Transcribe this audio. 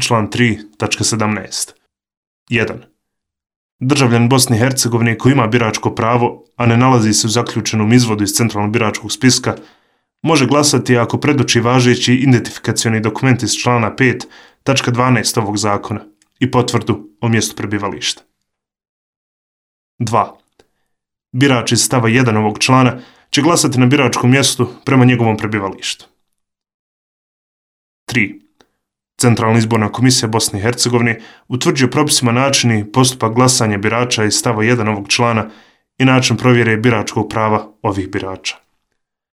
član 3.17. 1. Državljanin Bosne i Hercegovine koji ima biračko pravo, a ne nalazi se u zaključenom izvodu iz centralnog biračkog spiska, može glasati ako predoči važeći identifikacioni dokument iz člana 5.12 ovog zakona i potvrdu o mjestu prebivališta. 2. Birač iz stava 1 ovog člana će glasati na biračkom mjestu prema njegovom prebivalištu. 3. Centralna izborna komisija Bosne i Hercegovine utvrđuje propisima način i postupak glasanja birača iz stava 1 ovog člana i način provjere biračkog prava ovih birača.